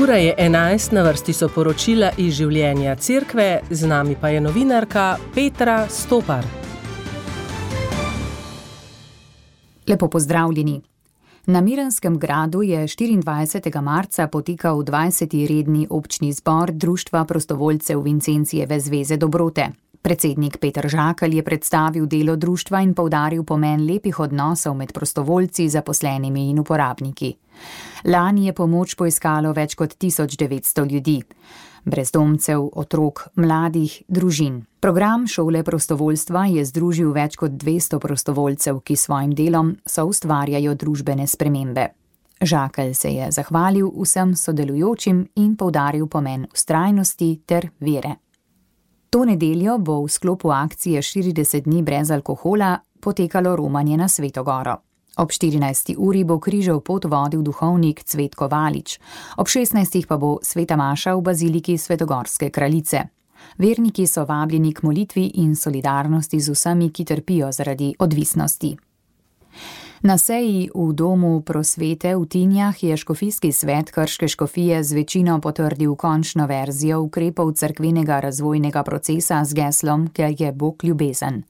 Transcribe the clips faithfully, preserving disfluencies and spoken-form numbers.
Ura je enajst, na vrsti so poročila iz življenja cerkve, z nami pa je novinarka Petra Stopar. Lepo pozdravljeni. Na Miranskem gradu je štiriindvajsetega marca potekal dvajseti redni občni zbor Društva prostovoljcev Vincencijeve zveze dobrote. Predsednik Peter Žakelj je predstavil delo društva in poudaril pomen lepih odnosov med prostovoljci, zaposlenimi in uporabniki. Lani je pomoč poiskalo več kot tisoč devetsto ljudi. Brezdomcev, otrok, mladih, družin. Program šole prostovoljstva je združil več kot dvesto prostovoljcev, ki svojim delom soustvarjajo družbene spremembe. Žakelj se je zahvalil vsem sodelujočim in poudaril pomen vztrajnosti ter vere. To nedeljo bo v sklopu akcije štirideset dni brez alkohola potekalo romanje na Sveto Goro. Ob štirinajsti uri bo križev pot vodil duhovnik Cvetko Valič, ob šestnajstih pa bo sveta maša v baziliki Svetogorske kraljice. Verniki so vabljeni k molitvi in solidarnosti z vsemi, ki trpijo zaradi odvisnosti. Na seji v Domu prosvete v Tinjah je škofijski svet Krške škofije z večino potrdil končno verzijo ukrepov cerkvenega razvojnega procesa z geslom Ker je Bog ljubezen.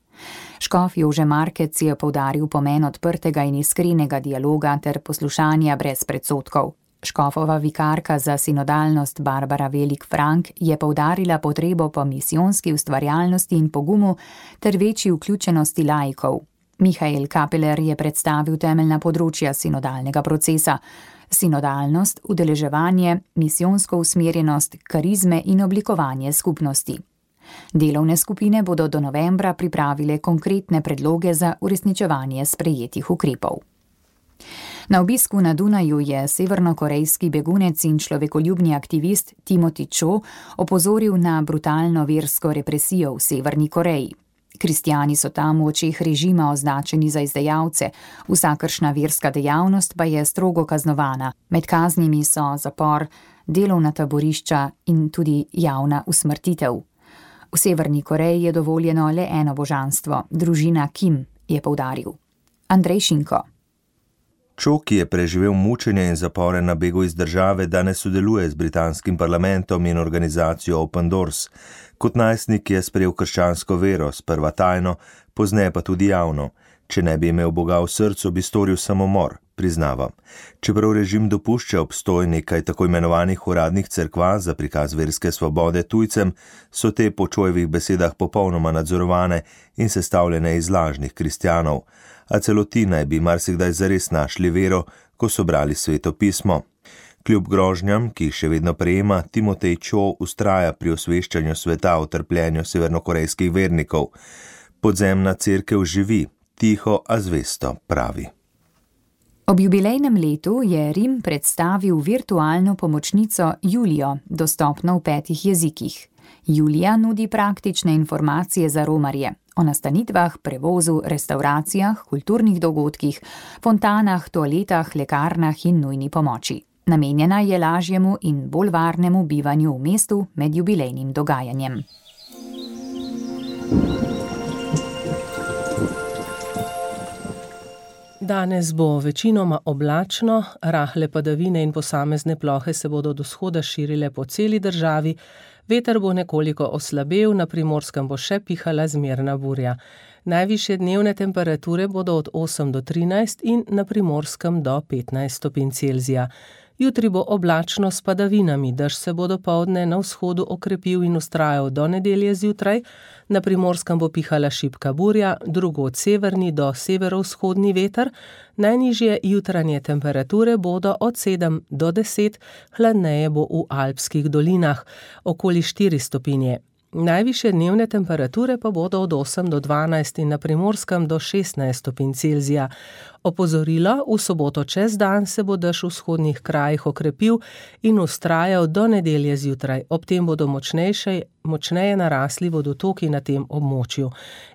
Škof Jože Markec je poudaril pomen odprtega in iskrenega dialoga ter poslušanja brez predsodkov. Škofova vikarka za sinodalnost Barbara Velik-Frank je poudarila potrebo po misijonski ustvarjalnosti in pogumu ter večji vključenosti laikov. Mihael Kapeler je predstavil temeljna področja sinodalnega procesa: sinodalnost, udeleževanje, misijonsko usmerjenost, karizme in oblikovanje skupnosti. Delovne skupine bodo do novembra pripravile konkretne predloge za uresničevanje sprejetih ukrepov. Na obisku na Dunaju je severnokorejski begunec in človekoljubni aktivist Timothy Cho opozoril na brutalno versko represijo v Severni Koreji. Kristjani so tam v očeh režima označeni za izdajalce, vsakršna verska dejavnost pa je strogo kaznovana. Med kaznimi so zapor, delovna taborišča in tudi javna usmrtitev. V Severni Koreji je dovoljeno le eno božanstvo, družina Kim, je poudaril. Andrej Šinko. Cho, ki je preživel mučenje in zapore na begu iz države, danes sodeluje z britanskim parlamentom in organizacijo Open Doors. Kot najstnik je sprejel krščansko vero, sprva tajno, pozneje pa tudi javno. Če ne bi imel Boga v srcu, bi storil samomor, priznava. Čeprav režim dopušča obstoj nekaj tako imenovanih uradnih cerkva za prikaz verske svobode tujcem, so te po Chojevih besedah popolnoma nadzorovane in sestavljene iz lažnih kristjanov. A celo ti naj bi marsikdaj zares našli vero, ko so brali Sveto pismo. Kljub grožnjam, ki jih še vedno prejema, Timothy Cho vztraja pri osveščanju sveta o trpljenju severnokorejskih vernikov. Podzemna cerkev živi, tiho, a zvesto, pravi. Ob jubilejnem letu je Rim predstavil virtualno pomočnico Julijo, dostopno v petih jezikih. Julija nudi praktične informacije za romarje o nastanitvah, prevozu, restavracijah, kulturnih dogodkih, fontanah, toaletah, lekarnah in nujni pomoči. Namenjena je lažjemu in bolj varnemu bivanju v mestu med jubilejnim dogajanjem. Danes bo večinoma oblačno, rahle padavine in posamezne plohe se bodo od vzhoda širile po celi državi, veter bo nekoliko oslabel, na Primorskem bo še pihala zmerna burja. Najvišje dnevne temperature bodo od osem do trinajst in na Primorskem do petnajst stopinj Celzija. Jutri bo oblačno s padavinami, dež se bo dopoldne na vzhodu okrepil in vztrajal do nedelje zjutraj, na Primorskem bo pihala šibka burja, drugod severni do severovzhodni veter, najnižje jutranje temperature bodo od sedem do deset, hladneje bo v alpskih dolinah, okoli štiri stopinje. Najvišje dnevne temperature pa bodo od osem do dvanajst in na Primorskem do šestnajst stopinj Celzija. Opozorilo, v soboto čez dan se bo dež v vzhodnih krajih okrepil in vztrajal do nedelje zjutraj. Ob tem bodo močnejše, močneje narasli vodotoki na tem območju.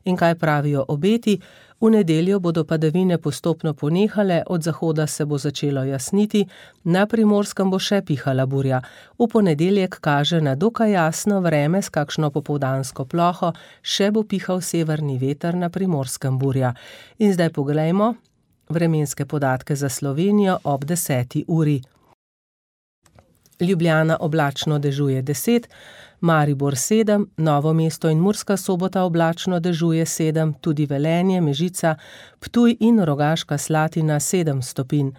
In kaj pravijo obeti? V nedeljo bodo padavine postopno ponehale, od zahoda se bo začelo jasniti, na Primorskem bo še pihala burja. V ponedeljek kaže na dokaj jasno vreme s kakšno popoldansko ploho, še bo pihal severni veter, na Primorskem burja. In zdaj poglejmo vremenske podatke za Slovenijo ob deseti uri. Ljubljana oblačno dežuje deset, Maribor sedem, Novo mesto in Murska Sobota oblačno dežuje sedem, tudi Velenje, Mežica, Ptuj in Rogaška Slatina sedem stopinj.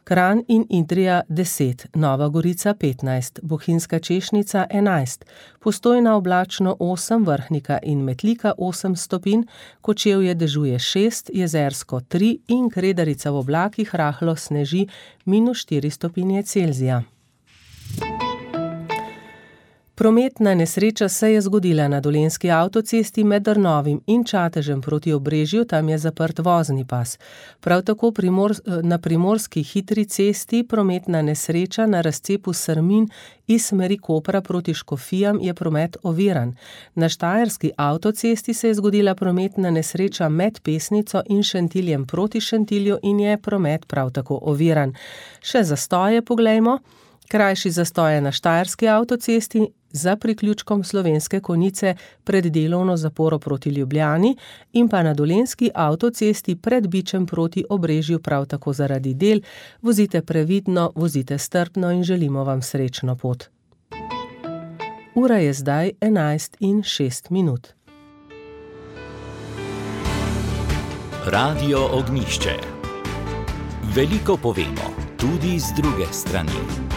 Kranj in Idrija deset, Nova Gorica petnajst, Bohinjska Češnica enajst, Postojna oblačno osem, Vrhnika in Metlika osem stopinj, Kočevje dežuje šest, Jezersko tri in Kredarica v oblakih rahlo sneži minus štiri stopinje Celzija. Prometna nesreča se je zgodila na Dolenjski avtocesti med Drnovim in Čatežem proti Obrežju, tam je zaprt vozni pas. Prav tako primor, na primorski hitri cesti prometna nesreča na razcepu Srmin iz smeri Kopra proti Škofijam je promet oviran. Na Štajerski avtocesti se je zgodila prometna nesreča med Pesnico in Šentiljem proti Šentilju in je promet prav tako oviran. Še zastoje poglejmo. Krajši zastoj je na Štajerski avtocesti za priključkom Slovenske Konjice pred delovno zaporo proti Ljubljani in pa na Dolenjski avtocesti pred Bičem proti Obrežju prav tako zaradi del. Vozite previdno, vozite strpno in želimo vam srečno pot. Ura je zdaj enajst in šest minut. Radio Ognjišče. Veliko povemo, tudi z druge strani.